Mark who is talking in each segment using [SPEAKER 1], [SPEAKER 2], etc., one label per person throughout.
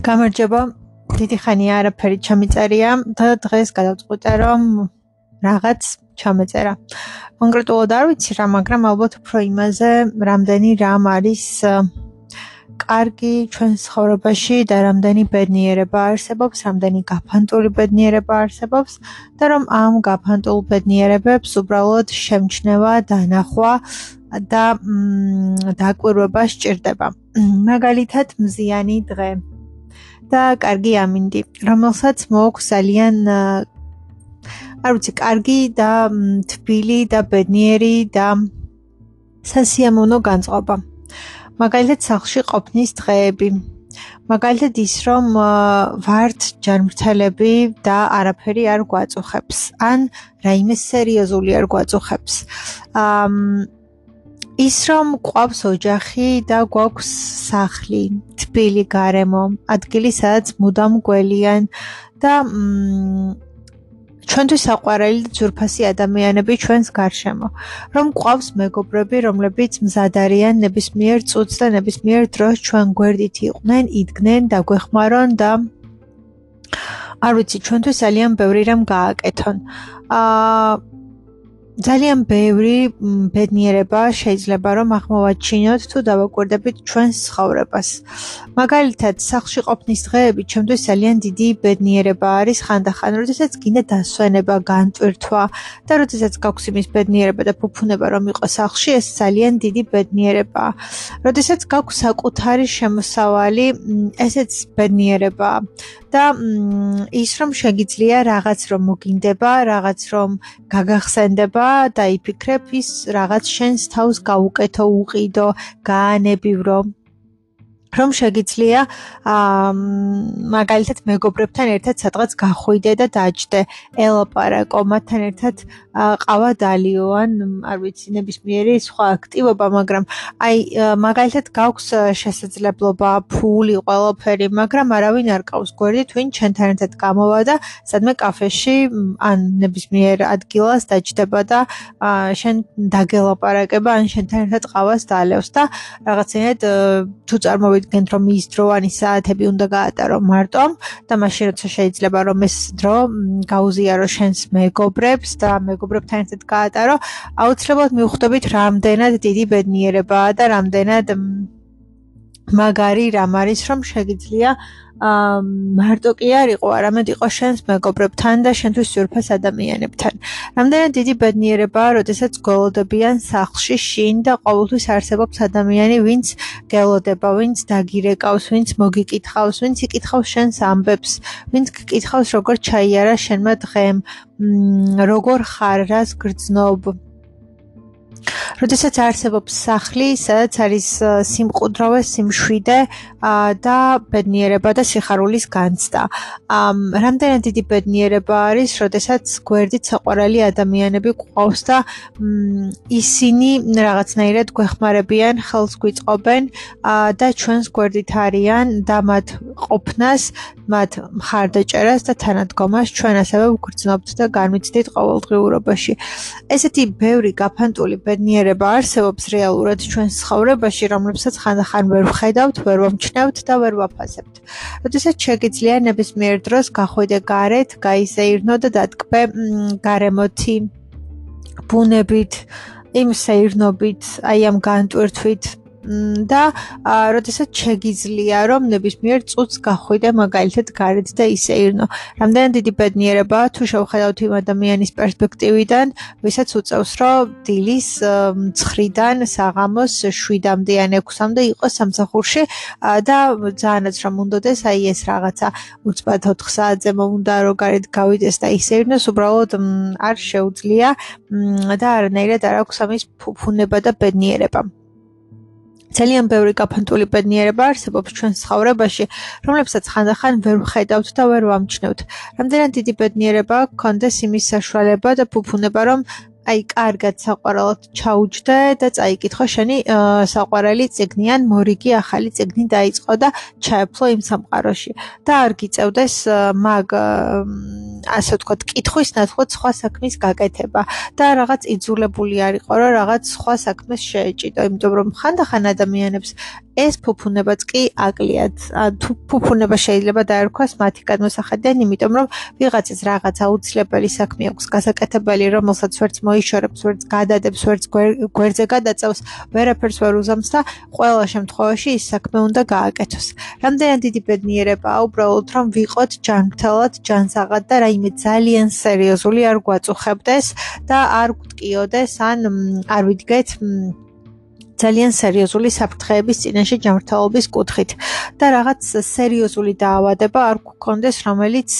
[SPEAKER 1] გამარჯობა, დიდი ხანია არაფერი ჩამიწერია და დღეს გადავწყვიტე რომ რაღაც ჩამეწერა. კონკრეტულად არ ვიცი რა, მაგრამ ალბათ უფრო იმაზე, რამდენი რამ არის კარგი ჩვენს ცხოვრებაში და რამდენი ბედნიერება არსებობს, რამდენი გაფანტული ბედნიერება არსებობს და რომ ამ გაფანტულ ბედნიერებებს უბრალოდ შემჩნევა, დანახვა და დაკვირვება სჭირდება. მაგალითად მზიანი დღე და კარგი ამინდი, რომელსაც მოაქვს ძალიან კარგი და თბილი და ბედნიერი და სასიამოვნო განწყობა. მაგალითად სახლში ყოფნის დღეები. მაგალითად ის რომ ვართ ჯანმრთელები და არაფერი არ გვაწუხებს, ან რაიმე სერიოზული არ გვაწუხებს. ის რომ გვყავს ოჯახი და გვაქვს სახლი, თბილი გარემო, ადგილი სადაც მუდამ გველიან და ჩვენთვის საყვარელი და ძვირფასი ადამიანები ჩვენს გარშემო. რომ გვყავს მეგობრები, რომლებიც მზად არიან ნებისმიერ წუთს და ნებისმიერ დროს ჩვენ გვერდით იყვნენ, იდგნენ, დაგვეხმარონ და არ ვიცი, ჩვენთვის ძალიან ბევრი რამ გააკეთონ. ძალიან ბევრი ბედნიერება შეიძლება რომ აღმოვაჩინოთ თუ დავაკვირდებით ჩვენს ცხოვრებას. მაგალითად, სახლში ყოფნის დღეები ჩემთვის ძალიან დიდი ბედნიერება არის ხანდახან, როდესაც გინდა დასვენება, განტვირთვა და როდესაც გაქვს იმის ბედნიერება და ფუფუნება რომ იყო სახლში, ეს ძალიან დიდი ბედნიერებაა. როდესაც გაქვს საკუთარი შემოსავალი, ესეც ბედნიერებაა. და ის რომ შეგიძლია რაღაც რომ მოგინდება, რაღაც რომ გაგახსენდება და იფიქრებ ის რაღაც შენს თავს გაუკეთო, უყიდო, გაანებივრო. რომ შეგიძლია მაგალითად მეგობრებთან ერთად სადღაც გახვიდე და დაჯდე, ელაპარაკო, მათთან ერთად ყავა დალიო, ან არ ვიცი, ნებისმიერი სხვა აქტივობა, მაგრამ მაგალითად გაქვს შესაძლებლობა, ფული, ყველაფერი, მაგრამ არავინ არ ყავს გვერდით, ვინ ჩვენთან ერთად გამოვა და სადმე კაფეში ან ნებისმიერ ადგილას დაჯდება და შენ დაგელაპარაკება, ან შენთან ერთად ყავას დაალევს და რაღაცნაირად თუ წარმოვიდგენთ რომ ის დროანი საათები უნდა გაატარო მარტომ და მაშინ როცა შეიძლება რომ ეს დრო გაუზიარო შენს მეგობრებს და მეგობრებთან ერთად გაატარო, აუცილებლად მივხვდებით რამდენად დიდი ბედნიერებაა და რამდენად მაგარი რამ არის რომ შეგიძლია მარტო კი არ იყო, არამედ იყო შენს მეგობრებთან და შენთვის ძვირფას ადამიანებთან. რამდენად დიდი ბედნიერებაა, როდესაც გველოდებიან სახლში შინ და ყოველთვის არსებობს ადამიანი, ვინც გელოდება, ვინც დაგირეკავს, ვინც მოგიკითხავს, ვინც იკითხავს შენს ამბებს, ვინც გკითხავს როგორ ჩაიარა შენმა დღემ, როგორ ხარ, რას გრძნობ. როდესაც არსებობს სახლი, სადაც არის სიმყუდროვე, სიმშვიდე და ბედნიერება და სიხარულის განცდა. რამდენად დიდი ბედნიერება არის, როდესაც გვერდით საყვარელი ადამიანები გვყავს და ისინი რაღაცნაირად გვეხმარებიან, ხელს გვიწყობენ და ჩვენს გვერდით არიან და მათ ყოფნას, მათ მხარდაჭერას და თანადგომას ჩვენ ასევე ვგრძნობთ და განვიცდით ყოველდღიურობაში. ესეთი ბევრი გაფანტული ბედნიერება არსებობს რეალურად ჩვენს ცხოვრებაში, რომლებსაც ხანდახან ვერ ვხედავთ, ვერ ვამჩნევთ და ვერ ვაფასებთ. როდესაც შეგიძლია ნებისმიერ დროს გახვიდე გარეთ, გაიზეირნო და დატკბე გარემოთი, ბუნებით, იმ სეირნობით, ამ განტვირთვით და როდესაც შეგიძლია რომ ნებისმიერ წუთს გახვიდე მაგალითად გარეთ და ისეირნო. რამდენად დიდი ბედნიერებაა თუ შევხედავთ იმ ადამიანის პერსპექტივიდან, ვისაც უწევს რომ დილის 9-დან საღამოს 7-მდე ან 6-მდე იყოს სამსახურში და ძალიანაც რომ უნდოდეს ეს რაღაცა უცბად 4 საათზე უნდა რომ გარეთ გავიდეს და ისეირნოს, უბრალოდ არ შეუძლია და არანაირად არ აქვს ამის ფუფუნება და ბედნიერება. ძალიან ბევრი გაფანტული ბედნიერება არსებობს ჩვენს ცხოვრებაში, რომლებსაც ხანდახან ვერ ვხედავთ და ვერ ვამჩნევთ. რამდენად დიდი ბედნიერება გქონდეს იმის საშუალება და ფუფუნება, რომ აი კარგად საყვარელად ჩაუჯდე და წაიკითხო შენი საყვარელი წიგნი ან მორიგი ახალი წიგნი დაიწყო და ჩაეფლო იმ სამყაროში და არ გიწევდეს მაგ ასე ვთქვათ კითხვის ნაცვლად სხვა საქმის გაკეთება და რაღაც იძულებული არ იყო რომ რაღაც სხვა საქმეს შეეჭიდო, იმიტომ რომ ხანდახან ადამიანებს ეს ფუფუნებაც კი აკლიათ. თუ ფუფუნება შეიძლება დაერქვას მათი გადმოსახედიდან, იმიტომ რომ ვიღაცას რაღაც აუცილებელი საქმე აქვს გასაკეთებელი, რომელსაც ვერც მოიშორებს, ვერც გადადებს, ვერც გვერდზე გადაწევს, ვერაფერს ვერ უზამს და ყველა შემთხვევაში ის საქმე უნდა გააკეთოს. რამდენად დიდი ბედნიერებაა უბრალოდ რომ ვიყოთ ჯანმრთელად, ჯანსაღად და რაიმე ძალიან სერიოზული არ გვაწუხებდეს და არ გვტკიოდეს ან არ ვიდგეთ ძალიან სერიოზული საფრთხეების წინაშე ჯანმრთელობის კუთხით და რაღაც სერიოზული დაავადება არ გქონდეს, რომელიც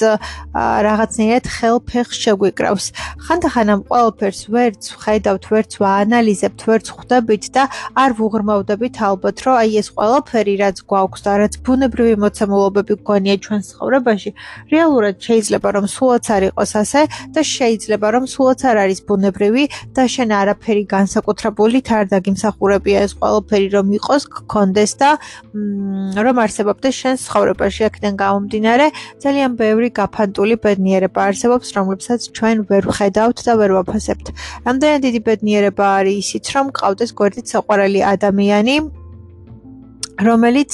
[SPEAKER 1] რაღაცნაირად ხელფეხს შეგვიკრავს. ხანდახან ამ ყველაფერს ვერც ვხედავთ, ვერც ვაანალიზებთ, ვერც ხვდებით და არ ვუღრმავდებით ალბათ, რომ აი ეს ყველაფერი რაც გვაქვს და რაც ბუნებრივი მოცემულობები გვგონია ჩვენს ცხოვრებაში, რეალურად შეიძლება რომ სულაც არ იყოს ასე და შეიძლება რომ სულაც არ არის ბუნებრივი და შენ არაფერი განსაკუთრებულით არ დაგიმსახურებ ეს ყველაფერი რომ იყოს, გქონდეს და რომ არსებობდეს შენს ცხოვრებაში. აქედან გამომდინარე, ძალიან ბევრი გაფანტული ბედნიერება არსებობს, რომლებსაც ჩვენ ვერ ვხედავთ და ვერ ვაფასებთ. რამდენად დიდი ბედნიერება არის ისიც, რომ გყავდეს გვერდით საყვარელი ადამიანი, რომელიც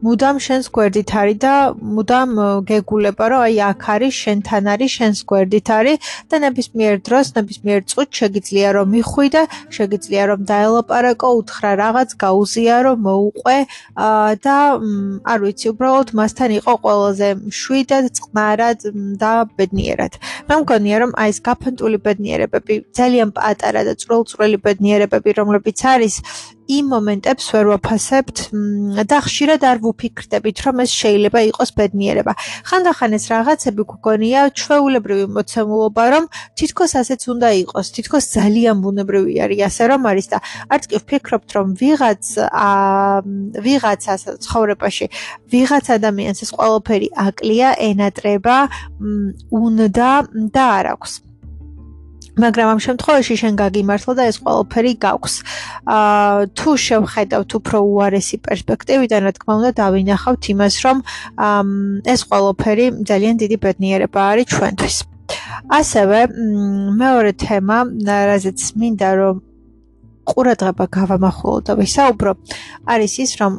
[SPEAKER 1] მუდამ შენს გვერდით არის და მუდამ გეგულება, რომ აი აქ არის, შენთან არის, შენს გვერდით არის და ნებისმიერ დროს, ნებისმიერ წუთს შეგიძლია რომ მიხვი და შეგიძლია რომ დაელაპარაკო, უთხრა რაღაც, გაუზიარო, მოუყვე და არ ვიცი, უბრალოდ მასთან იყო ყველაზე მშვიდად, წყნარად და ბედნიერად. მე მგონია რომ აი ეს გაფანტული ბედნიერებები, ძალიან პატარა და წვრილ-წვრილი ბედნიერებები, რომლებიც არის იმ მომენტებს ვერ ვაფასებთ და ხშირად არ ვუფიქრდებით, რომ ეს შეიძლება იყოს ბედნიერება. ხანდახან ეს რაღაცები გვგონია ჩვეულებრივი მოცემულობა, რომ თითქოს ასეც უნდა იყოს, თითქოს ძალიან ბუნებრივი არის ასე რომ არის და არც კი ვფიქრობთ, რომ ვიღაცას ცხოვრებაში, ვიღაც ადამიანს ეს ყველაფერი აკლია, ენატრება, უნდა და არ აქვს. მაგრამ ამ შემთხვევაში შენ გაგიმართლა და ეს ყველაფერი გაქვს. თუ შევხედავთ უფრო უარესი პერსპექტივიდან, რა თქმა უნდა, დავინახავთ იმას, რომ ეს ყველაფერი ძალიან დიდი ბედნიერება არის ჩვენთვის. ასევე მეორე თემა, რაზეც მინდა რომ ყურადღება გავამახვილო და ვისაუბრო, არის ის, რომ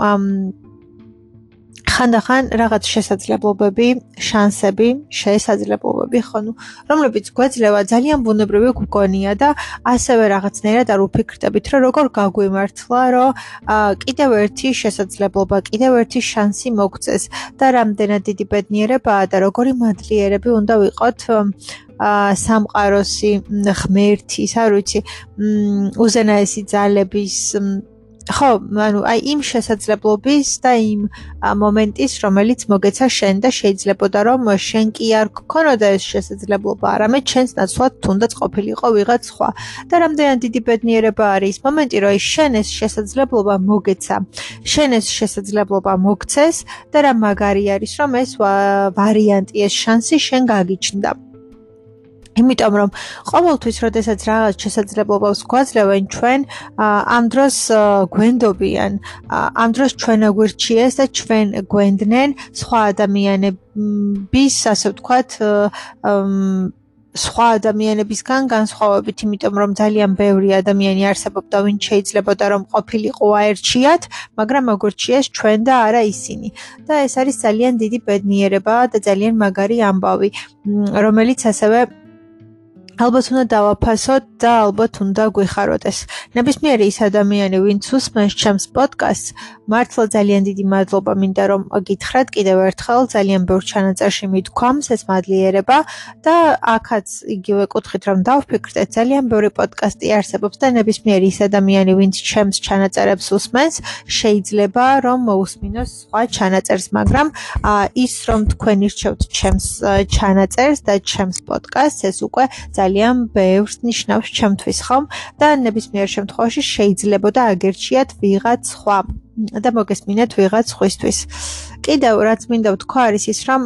[SPEAKER 1] ხანდახან რაღაც შესაძლებლობები, შანსები, რომლებიც გვეძლევა ძალიან ბუნებრივი გვგონია და ასევე რაღაცნაირად არ ვფიქრდებით, რომ როგორ გაგვიმართლა, რომ კიდევ ერთი შესაძლებლობა, კიდევ ერთი შანსი მოგწეს და რამდენად დიდი ბედნიერებაა და როგორი მადლიერები უნდა ვიყოთ სამყაროსი, ღმერთის, არ ვიცი, უზენაესი ძალების ხო, ანუ აი იმ შესაძლებლობის და იმ მომენტის, რომელიც მოგეცა შენ და შეიძლებოდა რომ შენ კი არ გქონოდა ეს შესაძლებლობა, არამედ შენს ნაცვლად თუნდაც ყოფილიყო ვიღაც სხვა. და რამდენად დიდი ბედნიერება არის ის მომენტი, რომ შენ ეს შესაძლებლობა მოგეცა, შენ ეს შესაძლებლობა მოგცეს და რა მაგარი არის, რომ ეს ვარიანტი, ეს შანსი შენ გაგიჩნდა. იმიტომ რომ ყოველთვის, როდესაც რაღაც შესაძლებლობას გვაძლევენ, ჩვენ ამ დროს გვენდობიან, ამ დროს ჩვენ აგვირჩიეს და ჩვენ გვენდნენ სხვა ადამიანების, ასე ვთქვათ, სხვა ადამიანებისგან განსხვავებით, იმიტომ რომ ძალიან ბევრი ადამიანი არსებობდა, ვინც შეიძლებოდა რომ ყოფილიყო აერჩიათ, მაგრამ აგვირჩიეს ჩვენ და არა ისინი. და ეს არის ძალიან დიდი ბედნიერება და ძალიან მაგარი ამბავი, რომელიც ასევე ალბათ უნდა დავაფასოთ და ალბათ უნდა გვიხაროდეს. ნებისმიერი ის ადამიანი, ვინც უსმენს ჩემს პოდკასტს, მართლა ძალიან დიდი მადლობა მინდა რომ გითხრათ კიდევ ერთხელ, ძალიან ბევრ ჩანაწერში მიდგამს ეს მადლიერება და აქაც იგივე კუთხით რომ დავფიქრდეთ, ძალიან ბევრი პოდკასტი არსებობს და ნებისმიერი ის ადამიანი, ვინც ჩემს ჩანაწერებს უსმენს, შეიძლება რომ მოусმინოს სხვა ჩანაწერს, მაგრამ ის რომ თქვენ ირჩევთ ჩემს ჩანაწერს და ჩემს პოდკასტს, ეს უკვე ძალიან ბევრს ნიშნავს ჩემთვის, ხომ? და ნებისმიერ შემთხვევაში შეიძლებოდა აგერჩიათ ვიღაც სხვა და მოგესმინათ ვიღაც სხვისთვის. კიდევ რაც მინდა ვთქვა არის ის, რომ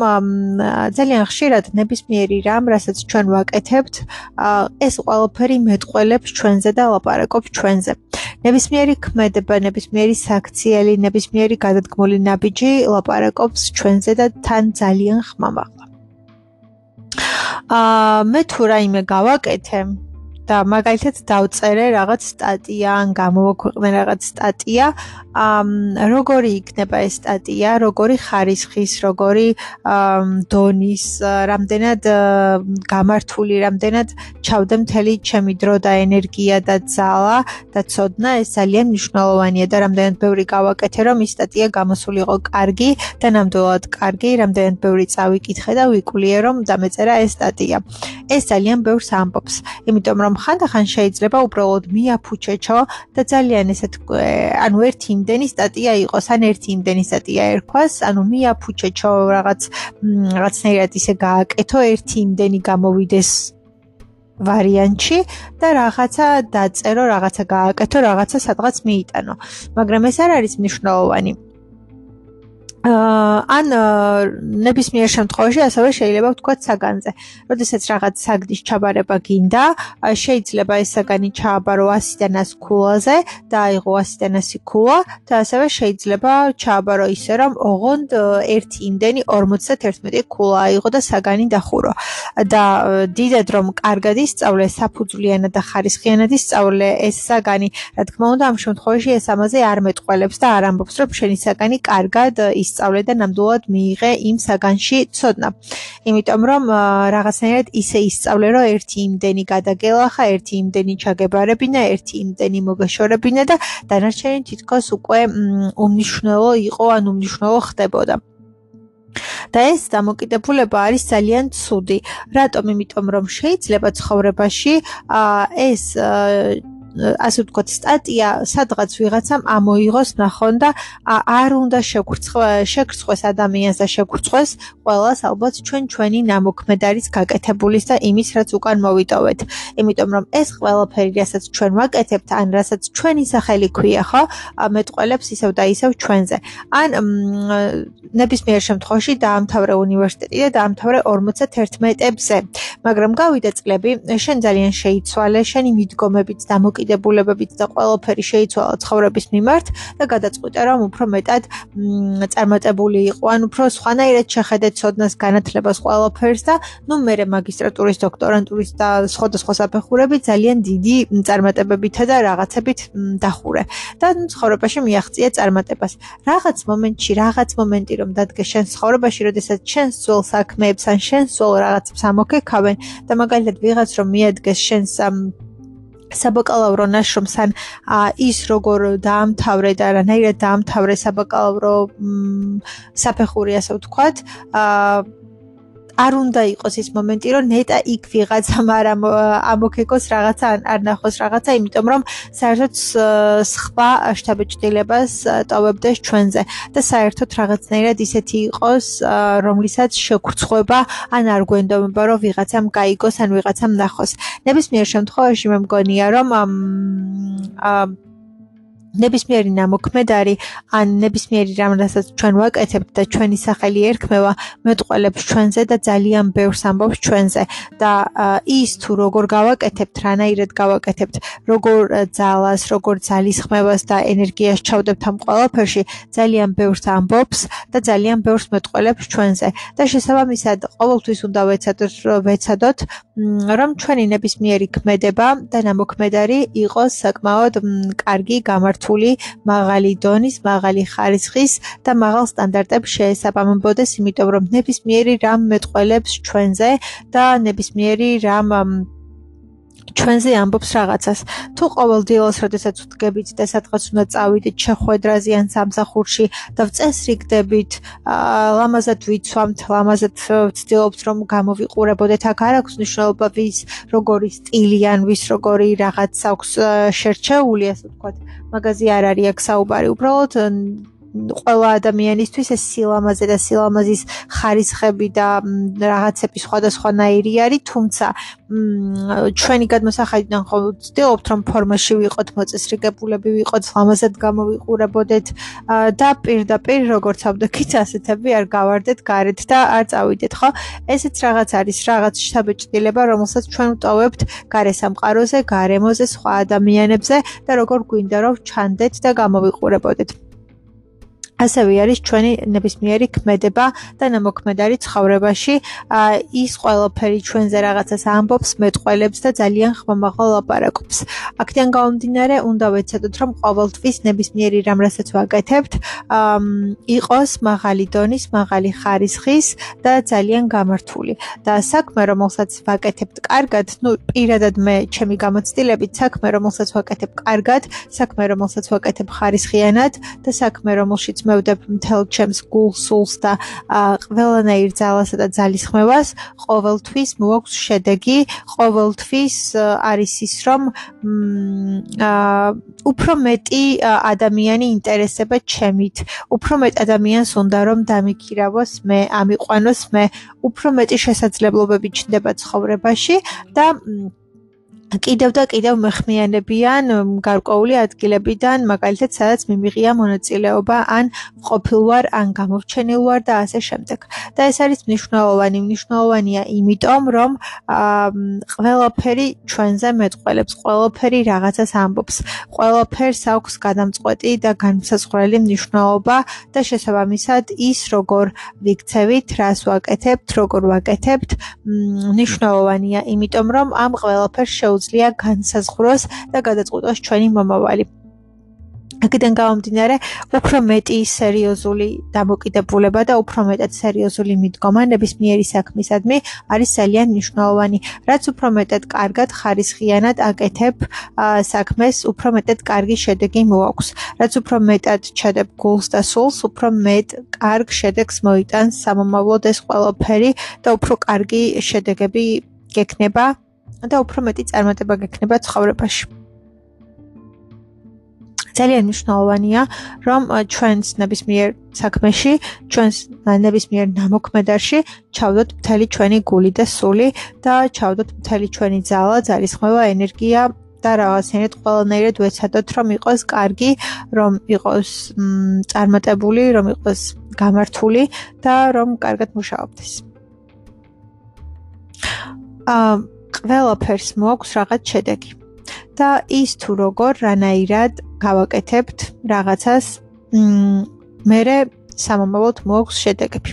[SPEAKER 1] ძალიან ხშირად ნებისმიერი რამ, რასაც ჩვენ ვაკეთებთ, ეს ყველაფერი მეტყველებს ჩვენზე და ლაპარაკობს ჩვენზე. ნებისმიერი ქმედება, ნებისმიერი საქციელი, ნებისმიერი გადადგმული ნაბიჯი ლაპარაკობს ჩვენზე და თან ძალიან ხმამაღლა. მე თუ რაიმე გავაკეთე და მაგალითად დავწერე რაღაც სტატია ან გამოვაქვეყნე რაღაც სტატია, როგორი იქნება ეს სტატია, როგორი ხარისხის, როგორი დონის, რამდენად გამართული, რამდენად ჩავდე მთელი ჩემი დრო და ენერგია და ძალა და ცოდნა, ეს ძალიან მნიშვნელოვანია და რამდენად ბევრი გავაკეთე, რომ ის სტატია გამოსულიყო კარგი და ნამდვილად კარგი, რამდენად ბევრი წავიკითხე და ვიკვლიე, რომ დამეწერა ეს სტატია. ეს ძალიან ბევრს ამბობს, იმიტომ რომ ხანდახან შეიძლება უბრალოდ მიაფუჩეჩო და ძალიან ესეთ ანუ ერთი იმდენი სტატია იყოს, ან ერთი იმდენი სტატია ერქვას, ანუ მიაფუჩეჩო რაღაცნაირად ისე გააკეთო, ერთი იმდენი გამოვიდეს ვარიანტში და რაღაცა დაწერო, რაღაცა გააკეთო, რაღაცა სადღაც მიიტანო. მაგრამ ეს არ არის მნიშვნელოვანი. ან ნებისმიერ შემთხვევაში ასევე შეიძლება ვთქვათ საგანზე. როდესაც რაღაც საგნის ჩაბარება გინდა, შეიძლება ეს საგანი ჩააბარო 100-დან 100 ქულაზე და აიღო 100-დან 100 ქულა და ასევე შეიძლება ჩააბარო ისე, რომ ოღონდ ერთი იმდენი 51 ქულა აიღო და საგანი დახურო. და დიდად რომ კარგად ისწავლე, საფუძვლიანად და ხარისხიანად ისწავლე ეს საგანი, რა თქმა უნდა, ამ შემთხვევაში ეს ამაზე არ მეტყველებს და არ ამბობს, რომ შენი საგანი კარგად ისწავლე და ნამდვილად მიიღე იმ საგანში ცოდნა. იმიტომ რომ რაღაცნაირად ისე ისწავლე, რომ ერთი იმდენი გადაგელახა, ერთი იმდენი ჩაგებარებინა, ერთი იმდენი მოგეშორებინა და დანარჩენი თითქოს უკვე უმნიშვნელო იყო, ან უმნიშვნელო ხდებოდა. და ეს დამოკიდებულება არის ძალიან ცუდი. რატომ? იმიტომ რომ შეიძლება ცხოვრებაში ეს ასე ვთქვათ, სტატია სადღაც ვიღაცამ ამოიღოს ნახონ და არ უნდა შეგრცხვეს ადამიანს და შეგრცხვეს ყველას, ალბათ ჩვენი ნამოქმედ არის გაკეთებულის და იმის, რაც უკან მოვიტოვეთ. იმიტომ რომ ეს ყველაფერი, რასაც ჩვენ ვაკეთებთ, ან რასაც ჩვენი სახელი ქვია, ხო, მეტყველებს ისევ და ისევ ჩვენზე. ან ნებისმიერ შემთხვევაში დაამთავრე უნივერსიტეტი და დაამთავრე 51-ებზე. მაგრამ გავიდა წლები, შენ ძალიან შეიცვალე, შენი მიდგომებით დამოკიდებულებებით და ყველაფერი შეიცვალა ცხოვრების მიმართ და გადაწყვიტა, რომ უფრო მეტად წარმატებული იყო, ან უფრო სხვანაირად შეხედე ცოდნას, განათლებას, ყველაფერს და მერე მაგისტრატურის, დოქტორანტურის და სხვადასხვა საფეხურები ძალიან დიდი წარმატებებითა და რაღაცებით დახურე. და ცხოვრებაში მიაღწია წარმატებას. რაღაც მომენტი რომ დადგე შენ ცხოვრებაში, როდესაც შენს ძველ საქმეებს ან შენს ძველ რაღაცებს ამოქეკავენ და მაგალითად ვიღაც რომ მიადგეს შენს საბაკალავრო ნაშრომს ან ის როგორ დაამთავრე და რანაირად დაამთავრე საბაკალავრო საფეხური, ასე ვთქვათ, არ უნდა იყოს ის მომენტი, რომ ნეტა იქ ვიღაცამ არ ამოქეკოს რაღაცა, არ ნახოს რაღაცა, იმიტომ რომ საერთოდ სხვა შთაბეჭდილებას ტოვებდეს ჩვენზე და საერთოდ რაღაცნაირად ისეთი იყოს, რომლისაც შეგრცხვება, ან არ გვენდომება, რომ ვიღაცამ გაიგოს, ან ვიღაცამ ნახოს. ნებისმიერ შემთხვევაში მე მგონია, რომ ნებისმიერი ნამოქმედარი ან ნებისმიერი რამ, რასაც ჩვენ ვაკეთებთ და ჩვენი სახელი ერქმევა, მეტყველებს ჩვენზე და ძალიან ბევრს ამბობს ჩვენზე და ის თუ როგორ გავაკეთებთ, რანაირად გავაკეთებთ, როგორ ძალას, როგორ ძალისხმევას და ენერგიას ჩავდებთ ამ ყველაფერში, ძალიან ბევრს ამბობს და ძალიან ბევრს მეტყველებს ჩვენზე და შესაბამისად ყოველთვის უნდა ვეცადოთ, რომ ჩვენი ნებისმიერი ქმედება და ნამოქმედარი იყოს საკმაოდ კარგი, გამართული, მაღალი დონის, მაღალი ხარისხის და მაღალ სტანდარტებს შეესაბამებოდეს, იმიტომ რომ ნებისმიერი რამ მეტყველებს ჩვენზე და ნებისმიერი რამ ჩვენზე ამბობს რაღაცას. თუ ყოველდღიურად, როდესაც ვდგებით და სადღაც უნდა წავიდეთ შეხვედრაზე ან სამსახურში და ვწესრიგდებით, ლამაზად ვიცვამთ, ლამაზად ვცდილობთ, რომ გამოვიყურებოდეთ, აქ არ აქვს მნიშვნელობა ვის როგორი სტილი ან ვის როგორი რაღაც აქვს შერჩეული, ასე ვთქვათ. მაგაზე არ არის აქ საუბარი, უბრალოდ ყველა ადამიანისთვის ეს სილამაზე და სილამაზის ხარისხები და რაღაცები სხვადასხვანაირი არის, თუმცა ჩვენი გადმოსახედიდან ხო ვცდილობთ, რომ ფორმაში ვიყოთ, მოწესრიგებულები ვიყოთ, ლამაზად გამოვიყურებოდეთ და პირდაპირ როგორც ავდექით, ასეთები არ გავარდეთ გარეთ და არ წავიდეთ, ხო? ესეც რაღაც არის, რაღაც შთაბეჭდილება, რომელსაც ჩვენ ვტოვებთ გარესამყაროზე, გარემოზე, სხვა ადამიანებზე და როგორ გვინდა რომ ჩანდეთ და გამოვიყურებოდეთ. ასევე არის ჩვენი ნებისმიერი ქმედება და ნამოქმედარი ცხოვრებაში, ის ყველაფერი ჩვენზე რაღაცას ამბობს, მეტყველებს და ძალიან ხმამაღლა ლაპარაკობს. აქედან გამომდინარე, უნდა ვეცადოთ, რომ ყოველთვის ნებისმიერი რამ, რასაც ვაკეთებთ, იყოს მაღალი დონის, მაღალი ხარისხის და ძალიან გამართული. და საქმე, რომელსაც ვაკეთებთ კარგად, პირადად მე ჩემი გამოცდილებით, საქმე, რომელსაც ვაკეთებ კარგად, საქმე, რომელსაც ვაკეთებ ხარისხიანად და საქმე, რომელშიც მევდებ მთელ ჩემს გულს, სულს და ყველანაირ ძალასა და ძალისხმევას, ყოველთვის მოაქვს შედეგი, ყოველთვის არის ის, რომ უფრო მეტი ადამიანი ინტერესება ჩემით, უფრო მეტ ადამიანს უნდა რომ დამიქირავოს მე, ამიყვანოს მე, უფრო მეტი შესაძლებლობები ჩნდება ცხოვრებაში და კიდევ და კიდევ მეხმიანებიან გარკვეული ადგილებიდან, მაგალითად, სადაც მიმიღია მონაწილეობა, ან ყოფილ ვარ, ან გამოვრჩენილ ვარ და ასე შემდეგ. და ეს არის მნიშვნელოვანია იმიტომ, რომ ყველაფერი ჩვენზე მეტყველებს, ყველაფერი რაღაცას ამბობს, ყველაფერს აქვს გადამწყვეტი და განმსაზღვრელი მნიშვნელობა და შესაბამისად ის, როგორ ვიქცევით, რას ვაკეთებთ, როგორ ვაკეთებთ, მნიშვნელოვანია, იმიტომ რომ ამ ყველაფერს შეუძლია განსაზღვროს და გადაწყვეტოს ჩვენი მომავალი. აქედან გამომდინარე, უფრო მეტი სერიოზული დამოკიდებულება და უფრო მეტად სერიოზული მიდგომა ნებისმიერი საქმისადმი არის ძალიან მნიშვნელოვანი. რაც უფრო მეტად კარგად, ხარისხიანად აკეთებ საქმეს, უფრო მეტად კარგი შედეგი მოაქვს. რაც უფრო მეტად ჩადებ გულს და სულს, უფრო მეტ კარგ შედეგს მოიტანს სამომავლოდ ეს ყველაფერი და უფრო კარგი შედეგები გექნება და უფრო მეტი წარმატება გექნება ცხოვრებაში. ძალიან მნიშვნელოვანია, რომ ჩვენს ნებისმიერ საქმეში, ჩვენს ნებისმიერ ნამოქმედარში ჩავდოთ მთელი ჩვენი გული და სული და ჩავდოთ მთელი ჩვენი ძალა, ძალისხმევა, ენერგია და რაღაცნაირად ყველანაირად ვეცადოთ, რომ იყოს კარგი, რომ იყოს წარმატებული, რომ იყოს გამართული და რომ კარგად მუშაობდეს. ყველაფერს მოაქვს რაღაც შედეგი. და ის თუ როგორ რანაირად გავაკეთებთ რაღაცას, მერე სამომავლოდ მოაქვს შედეგები.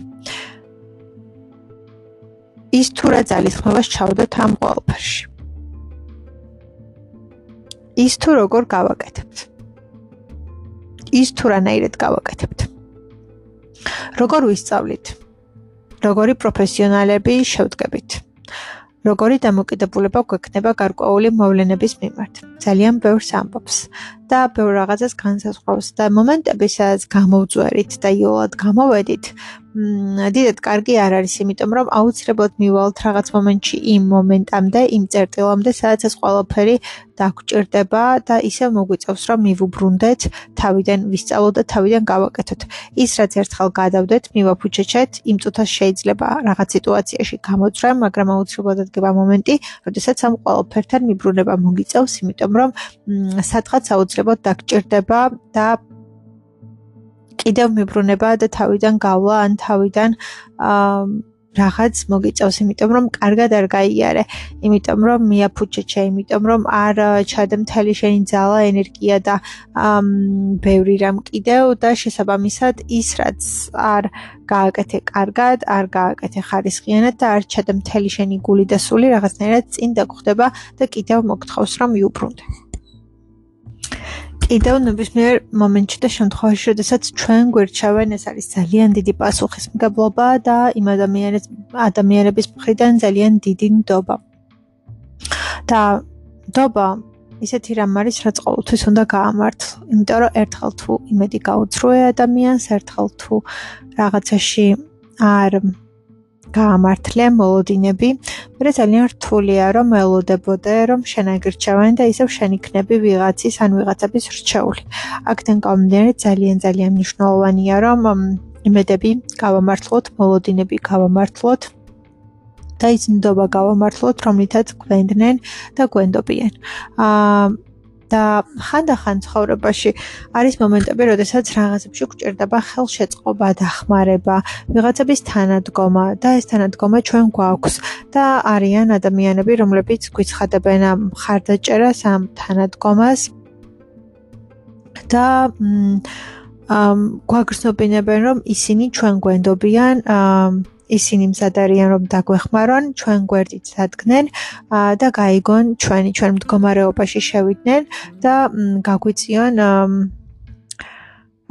[SPEAKER 1] ის თუ რა ძალისხმევას ჩავდოთ ამ ყველაფერში. ის თუ როგორ გავაკეთებთ. ის თუ რანაირად გავაკეთებთ. როგორ ვისწავლით. როგორი პროფესიონალები შევდგებით. როგორი დამოკიდებულება გვექნება გარკვეული მოვლენების მიმართ. ძალიან ბევრს ამბობს და ბევრ რაღაცას განსაზღვრავს და მომენტები, სადაც გამოვძვერით და იოლად გამოვედით, დიდად კარგი არ არის, იმიტომ რომ აუცილებლად მივალთ რაღაც მომენტში იმ მომენტამდე, იმ წერტილამდე, სადაც ეს ყველაფერი დაგვჭირდება და ისევ მოგვიწევს, რომ მივუბრუნდეთ, თავიდან ვისწავლოთ და თავიდან გავაკეთოთ. ის, რაც ერთხელ გადავდეთ, მივაფუჩეჩეთ, იმ წუთას შეიძლება რაღაც სიტუაციაში გამოძვრე, მაგრამ აუცილებლად დგება მომენტი, როდესაც ამ ყველაფერთან მიბრუნება მოგიწევს, იმიტომ რომ სადღაც აუცილებლად დაგჭირდება და კიდევ მიბრუნება და თავიდან გავლა ან თავიდან რაღაც მოგიწევს, იმიტომ რომ კარგად არ გაიარე, იმიტომ რომ მიაფუჩეჩე, იმიტომ რომ არ ჩადე მთელი შენი ძალა, ენერგია და ბევრი რამ კიდევ და შესაბამისად ის, რაც არ გააკეთე კარგად, არ გააკეთე ხარისხიანად და არ ჩადე მთელი შენი გული და სული, რაღაცნაირად წინ დაგხვდება და კიდევ მოგთხოვს, რომ მიუბრუნდე. კიდევ ნებისმიერ მომენტში და შემთხვევაში, როდესაც ჩვენ გვერჩევენ, ეს არის ძალიან დიდი პასუხისმგებლობა და იმ ადამიანების მხრიდან ძალიან დიდი ნდობა. და ნდობა ისეთი რამ არის, რაც ყოველთვის უნდა გაამართლო, იმიტომ რომ ერთხელ თუ იმედი გაუძროე ადამიანს, ერთხელ თუ რაღაცაში არ გაამართლე მოლოდინები, მე ძალიან რთულია რომ ელოდებოდე რომ შენ აგირჩევენ და ისევ შენ იქნები ვიღაცის ან ვიღაცების რჩეული. აქედან გამომდინარე ძალიან მნიშვნელოვანია რომ იმედები გავამართლოთ, მოლოდინები გავამართლოთ და ის ნდობა გავამართლოთ, რომლითაც გვენდნენ და გვენდობიან. და ხანდახან ცხოვრებაში არის მომენტები, როდესაც რაღაცებში გვჭირდება ხელშეწყობა, დახმარება, ვიღაცების თანადგომა და ეს თანადგომა ჩვენ გვაქვს და არიან ადამიანები, რომლებიც გვიცხადებენ ამ მხარდაჭერას, ამ თანადგომას და გვაგრძნობინებენ, რომ ისინი ჩვენ გვენდობიან, ისინი მზად არიან რომ დაგვეხმარონ, ჩვენ გვერდით დადგნენ და გაიგონ ჩვენ მდგომარეობაში შევიდნენ და გაგვიწიონ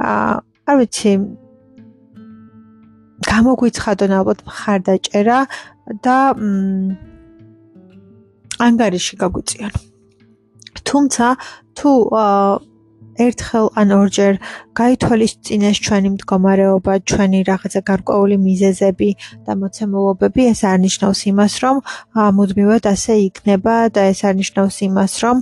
[SPEAKER 1] არ ვიცი გამოგვიცხადონ ალბათ მხარდაჭერა და ანგარიში გაგვიწიონ. თუმცა თუ ერთხელ ან ორჯერ გაითვალისწინეს ჩვენი მდგომარეობა, ჩვენი რაღაცა გარკვეული მიზეზები და მოცემულობები, ეს არ ნიშნავს იმას, რომ მუდმივად ასე იქნება და ეს არ ნიშნავს იმას, რომ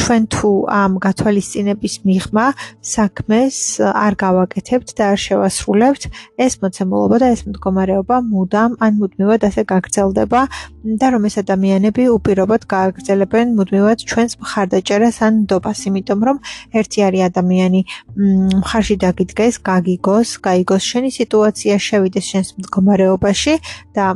[SPEAKER 1] ჩვენ თუ ამ გათვალისწინების მიღმა საქმეს არ გავაკეთებთ და არ შევასრულებთ, ეს მოცემულობა და ეს მდგომარეობა მუდამ ან მუდმივად ასე გაგრძელდება და რომ ეს ადამიანები უპირობოდ გააგრძელებენ მუდმივად ჩვენს მხარდაჭერას ან ნდობას, იმიტომ რომ ერთი არის ადამიანი მხარში დაგიდგეს, გაიგოს შენი სიტუაცია, შევიდეს შენს მდგომარეობაში და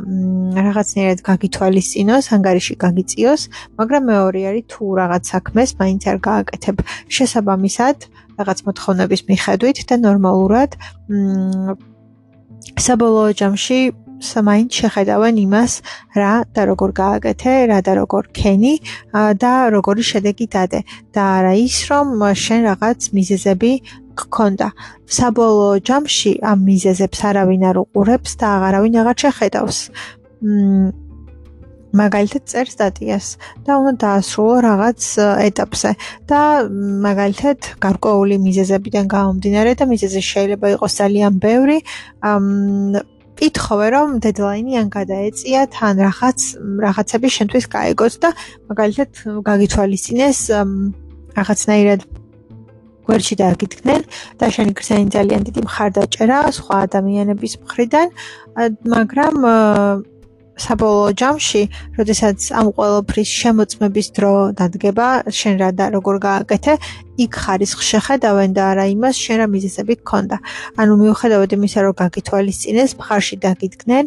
[SPEAKER 1] რაღაცნაირად გაგითვალისწინოს, ანგარიში გაგიწიოს, მაგრამ მეორე არის თუ რაღაც საქმეს მაინც არ გააკეთებ შესაბამისად რაღაც მოთხოვნების მიხედვით და ნორმალურად საბოლოო ჯამში მაინც შეხედავენ იმას რა და როგორ გააკეთე, რა და როგორ ქენი და როგორი შედეგი დადე და არა ის რომ შენ რაღაც მიზეზები გქონდა. საბოლოო ჯამში ამ მიზეზებს არავინ არ უყურებს და აღარავინ აღარ შეხედავს. მაგალითად წერ სტატიას და უნდა დაასრულო რაღაც ეტაპზე და მაგალითად გარკვეული მიზეზებიდან გამომდინარე და მიზეზი შეიძლება იყოს ძალიან ბევრი, ითხოვე რომ დედლაინი ან გადაეწიათ ან რაღაცები შენთვის გაიგოს და მაგალითად გაგითვალისწინეს რაღაცნაირად გვერდში დაგიდგნენ და შენი გრძენი ძალიან დიდი მხარდაჭერა სხვა ადამიანების მხრიდან, მაგრამ საბოლოო ჯამში, როდესაც ამ ყველაფრის შემოწმების დრო დადგება, შენ რა და როგორ გააკეთე, იქ ხარისხს შეხედავენ და არა იმას, შენ რა მიზეზები გქონდა. ანუ მიუხედავად იმისა, რომ გაგითვალისწინეს, მხარში დაგიდგნენ,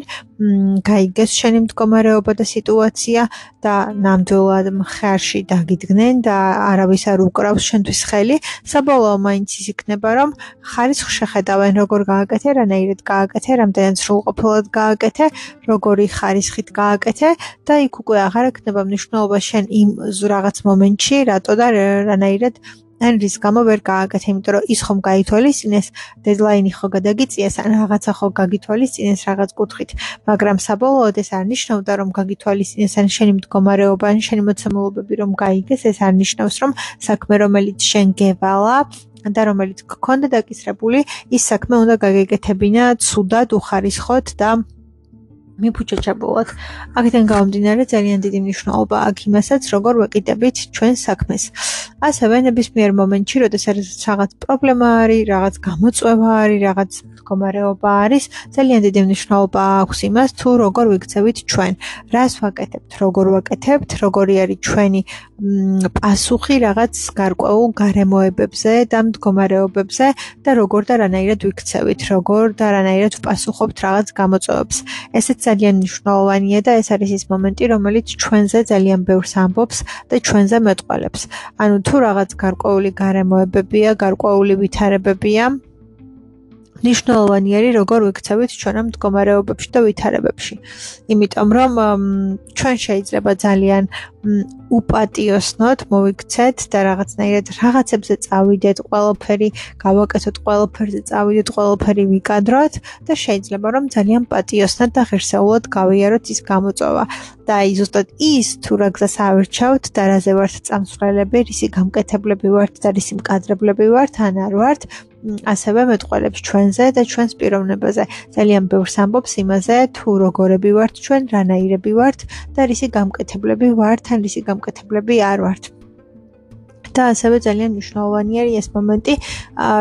[SPEAKER 1] გაიგეს შენი მდგომარეობა და სიტუაცია და ნამდვილად მხარში დაგიდგნენ და არავის არ უკრავს შენთვის ხელი, საბოლოო მაინც ის იქნება, რომ ხარისხს შეხედავენ, როგორ გააკეთე, რანაირად გააკეთე, რამდენად სრულყოფილად გააკეთე, როგორი ხარისხით გააკეთე და იქ უკვე აღარ ექნება მნიშვნელობა შენ იმ რაღაც მომენტში, რატო და რანაირად ან რის გამო ვერ გააკეთე, იმიტომ რომ ის ხომ გაითვალისწინეს, დედლაინი ხო გადაგიწიეს, ან რაღაცა ხო გაგითვალისწინეს რაღაც კუთხით, მაგრამ საბოლოოდ ეს არ ნიშნავდა, რომ გაგითვალისწინეს ან შენი მდგომარეობა, ან შენი მოცემულობები რომ გაიგეს, ეს არ ნიშნავს, რომ საქმე, რომელიც შენ გევალა და რომელიც გქონდა დაკისრებული, ის საქმე უნდა გაგეკეთებინა ცუდად, უხარისხოთ და მიფუჩაჩებულად. აქედან გამომდინარე ძალიან დიდი მნიშვნელობა აქვს იმასაც, როგორ ვეკიდებით ჩვენ საქმეს. ასევე ნებისმიერ მომენტში, როდესაც რაღაც პრობლემა არის, რაღაც გამოწვევა არის, რაღაც მდგომარეობა არის, ძალიან დიდი მნიშვნელობა აქვს იმას, თუ როგორ ვიქცევით ჩვენ, რას ვაკეთებთ, როგორ ვაკეთებთ, როგორი არის ჩვენი პასუხი რაღაც გარკვეულ გარემოებებზე და მდგომარეობებზე და როგორ და რანაირად ვიქცევით, როგორ და რანაირად ვპასუხობთ რაღაც გამოწვევებს. ესეც ძალიან მნიშვნელოვანია და ეს არის ის მომენტი, რომელიც ჩვენზე ძალიან ბევრს ამბობს და ჩვენზე მეტყველებს. ანუ თუ რაღაც გარკვეული გარემოებებია, გარკვეული ვითარებებია, მნიშვნელოვანი არის როგორ ვიქცევით ჩვენ ამ მდგომარეობებში და ვითარებებში. იმიტომ რომ ჩვენ შეიძლება ძალიან უპატიოსნოთ მოვიქცეთ და რაღაცნაირად რაღაცებზე წავიდეთ, ყველაფერი გავაკეთოთ, ყველაფერზე წავიდეთ, ყველაფერი ვიკადროთ და შეიძლება რომ ძალიან პატიოსნად და ღირსეულად გავიაროთ ის გამოწვევა. და აი ზუსტად ის თუ რა გზას ავირჩევთ და რაზე ვართ წამსვლელები, რისი გამკეთებლები ვართ და რისი მკადრებლები ვართ ან არ ვართ, ასევე მეტყველებს ჩვენზე და ჩვენს პიროვნებაზე. ძალიან ბევრს ამბობს იმაზე, თუ როგორები ვართ ჩვენ, რანაირები ვართ და რისი გამკეთებლები ვართ ან რისი გამკეთებლები არ ვართ. და ასევე ძალიან მნიშვნელოვანია ეს მომენტი,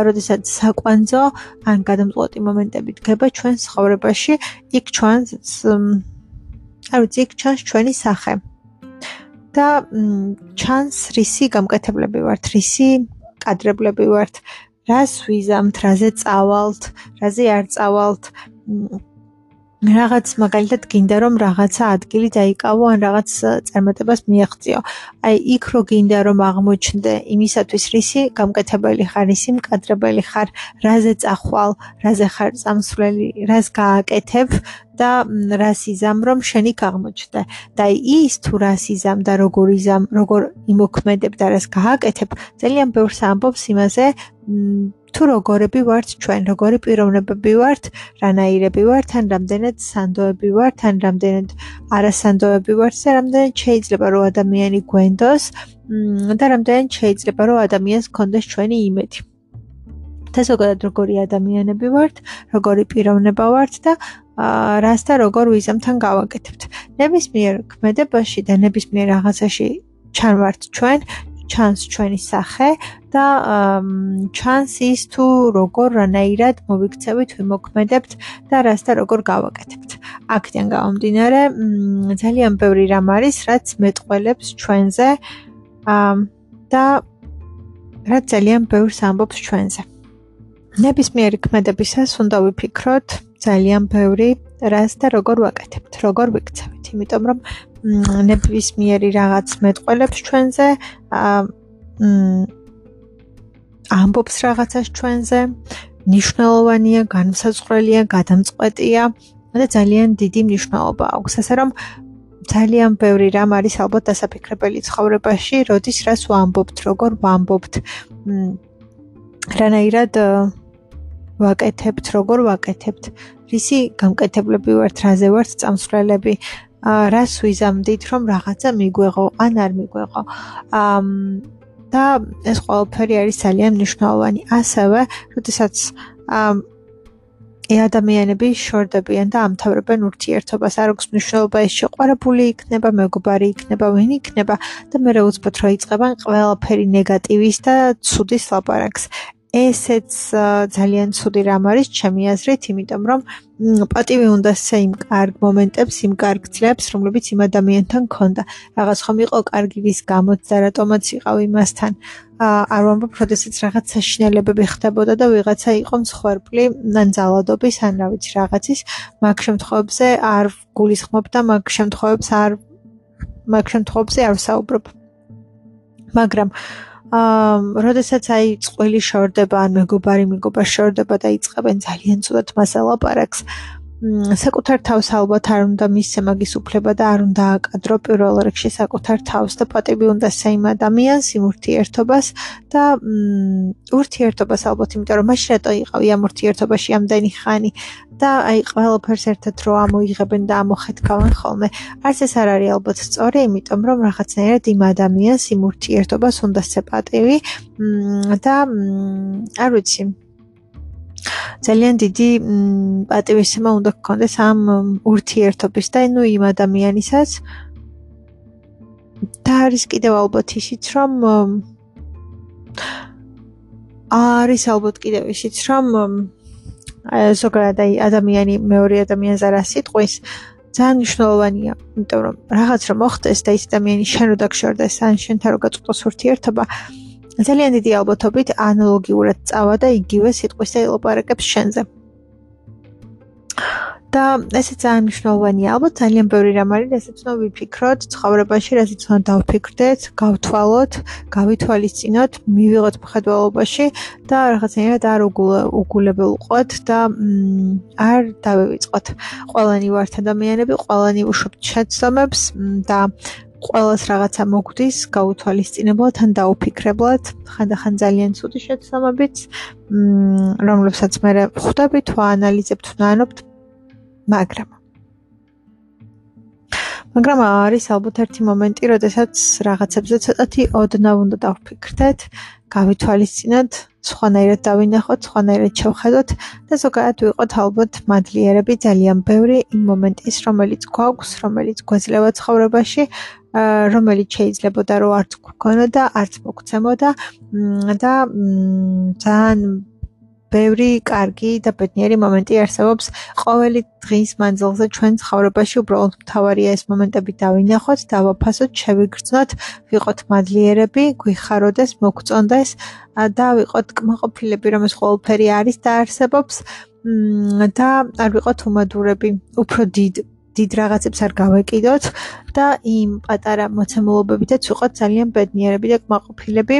[SPEAKER 1] როდესაც საკვანძო ან გადამწყვეტი მომენტები დგება ჩვენს ცხოვრებაში, იქ ჩვენს იქ ჩანს ჩვენი სახე. და ჩანს რისი გამკეთებლები ვართ, რისი მკადრებლები ვართ, რას ვიზამთ, რაზე წავალთ, რაზე არ წავალთ. რაღაც მაგალითად გინდა რომ რაღაცა ადგილი დაიკავო ან რაღაც წარმატებას მიაღწიო. აი იქ რო გინდა რომ აღმოჩნდე იმისათვის რისი გამკეთებელი ხარ, რისი მკადრებელი ხარ, რაზე წახვალ, რაზე ხარ წამსვლელი, რას გააკეთებ და რას იზამ რომ შენ იქ აღმოჩნდე. და ის თუ რას იზამ და როგორ იზამ, როგორ იმოქმედებ და რას გააკეთებ, ძალიან ბევრს ამბობს იმაზე, თუ როგორები ვართ ჩვენ, როგორი პიროვნებები ვართ, რანაირები ვართ, ან რამდენად სანდოები ვართ, ან რამდენად არასანდოები ვართ და რამდენად შეიძლება რომ ადამიანი გვენდოს და რამდენად შეიძლება რომ ადამიანს ჰქონდეს ჩვენი იმედი. და ზოგადად როგორი ადამიანები ვართ, როგორი პიროვნება ვართ და რას და როგორ ვიზამთან გავაკეთებთ. ნებისმიერ ქმედებაში და ნებისმიერ რაღაცაში ჩანვართ ჩვენ, ჩანს ჩვენი სახე და ჩანს ის თუ როგორ რანაირად მოვიქცევით, ვიმოქმედებთ და რას და როგორ გავაკეთებთ. აქედან გამომდინარე, ძალიან ბევრი რამ არის, რაც მეტყველებს ჩვენზე და რაც ძალიან ბევრს ამბობს ჩვენზე. ნებისმიერი ქმედებისას უნდა ვიფიქროთ ძალიან ბევრი რას და როგორ ვაკეთებთ, როგორ ვიქცევით, იმიტომ რომ ნებისმიერი რაღაც მეტყველებს ჩვენზე, ამბობს რაღაცას ჩვენზე, მნიშვნელოვანია, განსაზღვრელია, გადამწყვეტია და ძალიან დიდი მნიშვნელობა აქვს. ასე რომ ძალიან ბევრი რამ არის ალბათ დასაფიქრებელი ცხოვრებაში, როდის რას ვამბობთ, როგორ ვამბობთ, რანაირად ვაკეთებთ, როგორ ვაკეთებთ, რისი გამკეთებლები ვართ, რაზე ვართ წამსვლელები, რას ვიზამდით, რომ რაღაცა მიგვეღო ან არ მიგვეღო. და ეს ყველაფერი არის ძალიან მნიშვნელოვანი. ასევე, როდესაც ადამიანები შორდებიან და ამთავრებენ ურთიერთობას, არ აქვს მნიშვნელობა ეს შეყვარებული იქნება, მეგობარი იქნება, ვინ იქნება და მე უცბად რო იწყებენ ყველაფერი ნეგატივის და ცუდის ლაპარაკს. ესეც ძალიან ცუდი რამ არის ჩემი აზრით, იმიტომ რომ პატივი უნდა იმ კარგ მომენტებს, იმ კარგ ძლებს, რომლებიც იმ ადამიანთან ქონდა. რაღაც ხომ იყო კარგი ვის გამოც და რატომაც იყავ იმასთან. არ ვამბობ, როდესაც რაღაც საშინელებები ხდებოდა და ვიღაცა იყო მსხვერპლი, ან ძალადობის, ან რა ვიცი რაღაცის, მაგ შემთხვევებზე არ გულისხმობ და მაგ შემთხვევებზე არ ვსაუბრობ. მაგრამ როდესაც აი წყვილი შორდება ან მეგობარ შორდება და იწყებენ ძალიან ცუდად მას ლაპარაკს, საკუთარ თავს ალბათ არ უნდა მისცე მაგის უფლება და არ უნდა აკადრო პირველ რიგში საკუთარ თავს და პატივი უნდა იმ ადამიანს, იმ ურთიერთობას და ურთიერთობას ალბათ, იმიტომ რომ მაშინ რატო იყავი ამ ურთიერთობაში ამდენი ხანი და აი ყველაფერს ერთად რო ამოიღებენ და ამოხეთქავენ ხოლმე. არც ეს არ არის ალბათ სწორი, იმიტომ რომ რაღაცნაირად იმ ადამიანს, იმ ურთიერთობას უნდა სცე პატივი და არ ვიცი, ძალიან დიდი პატივისცემა უნდა გქონდეს ამ ურთიერთობის და ნუ იმ ადამიანისაც. და არის კიდევ ალბათ ისიც, რომ არის ალბათ კიდევ ისიც, რომ ზოგადად აი ადამიანი მეორე ადამიანს არ ასიტყვის, ძალიან მნიშვნელოვანია, იმიტომ რომ რაღაც რომ მოხდეს და ის ადამიანი შენ რო დაგშორდეს, ან შენთან რო გაწყვეტოს ურთიერთობა, ძალიან დიდი ალბათობით ანალოგიურად წავა და იგივე სიტყვის და ილაპარაკებს შენზე. და ესე ძალიან მნიშვნელოვანია, ალბათ ძალიან ბევრი რამ არის, რასაც უნდა ვიფიქროთ ცხოვრებაში, რასაც უნდა დავფიქრდეთ, გავთვალოთ, გავითვალისწინოთ, მივიღოთ მხედველობაში და რაღაცნაირად არ უგულებულყოთ და არ დავივიწყოთ. ყველანი ვართ ადამიანები, ყველანი ვუშვებთ შეცდომებს და ყველას რაღაცა მოგვდის გაუთვალისწინებლად ან დაუფიქრებლად, ხანდახან ძალიან ცუდი შეცდომებით, რომლებსაც მე ვხვდებით, ვაანალიზებთ, ვნანობთ, მაგრამ მაგრამ არის ალბათ ერთი მომენტი, როდესაც რაღაცებზე ცოტათი ოდნავ უნდა დავფიქრდეთ, გავითვალისწინოთ, სხვანაირად დავინახოთ, სხვანაირად შევხედოთ და ზოგადად ვიყოთ ალბათ მადლიერები ძალიან ბევრი იმ მომენტის, რომელიც გვაქვს, რომელიც გვეძლევა ცხოვრებაში, რომელიც შეიძლებოდა რომ არც გვქონოდა, არც მოგცემოდა და ძალიან ბევრი კარგი და ბედნიერი მომენტი არსებობს ყოველი დღის მანძილზე ჩვენ ცხოვრებაში. უბრალოდ მთავარია ეს მომენტები დავინახოთ, დავაფასოთ, შევიგრძნოთ, ვიყოთ მადლიერები, გვიხაროდეს, მოგწონდეს და ვიყოთ კმაყოფილები, რომ ეს ყველაფერი არის და არსებობს და არ ვიყოთ უმადურები, უფრო დიდ რაღაცებს არ გავეკიდოთ და იმ პატარა მოცემულობებითაც ვიყოთ ძალიან ბედნიერები და კმაყოფილები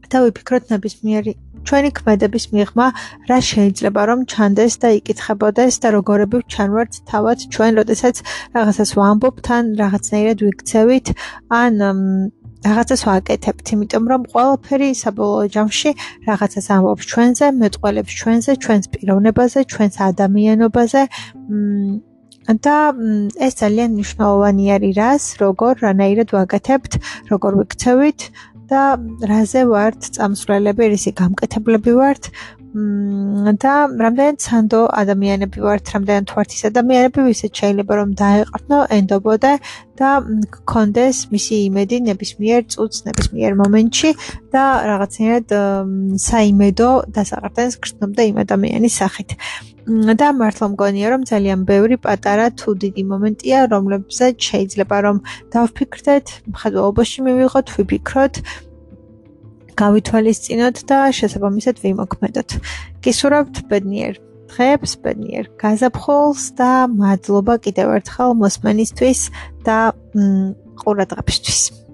[SPEAKER 1] და ვიფიქროთ ნებისმიერი ჩვენი ქმედების მიღმა რა შეიძლება რომ ჩანდეს და იკითხებოდეს და როგორები ვჩანვართ თავად ჩვენ, როდესაც რაღაცას ვამბობთ ან რაღაცნაირად ვიქცევით ან რაღაცას ვაკეთებთ, იმიტომ რომ ყველაფერი საბოლოო ჯამში რაღაცას ამბობს ჩვენზე, მეტყველებს ჩვენზე, ჩვენს პიროვნებაზე, ჩვენს ადამიანობაზე და ეს ძალიან მნიშვნელოვანი არის რას, როგორ, რანაირად ვაკეთებთ, როგორ ვიქცევით და რაზე ვართ წამსვლელები, რისი გამკეთებლები ვართ და რამდენად სანდო ადამიანები ვართ, რამდენად ვართ ის ადამიანები, ვისაც შეიძლება რომ დაეყრდნო, ენდობოდა და გქონდეს მისი იმედი ნებისმიერ წუთს, ნებისმიერ მომენტში და რაღაცნაირად საიმედო დასაყრდენს გრძნობდა იმ ადამიანის სახით. და მართლა მგონია რომ ძალიან ბევრი პატარა თუ დიდი მომენტია, რომლებზეც შეიძლება რომ დავფიქრდეთ, მხედველობაში მივიღოთ, ვიფიქროთ, გავითვალისწინოთ და შესაბამისად ვიმოქმედოთ. გისურვებთ ბედნიერ დღეებს, ბედნიერ გაზაფხულს და მადლობა კიდევ ერთხელ მოსმენისთვის და ყურადღებისთვის.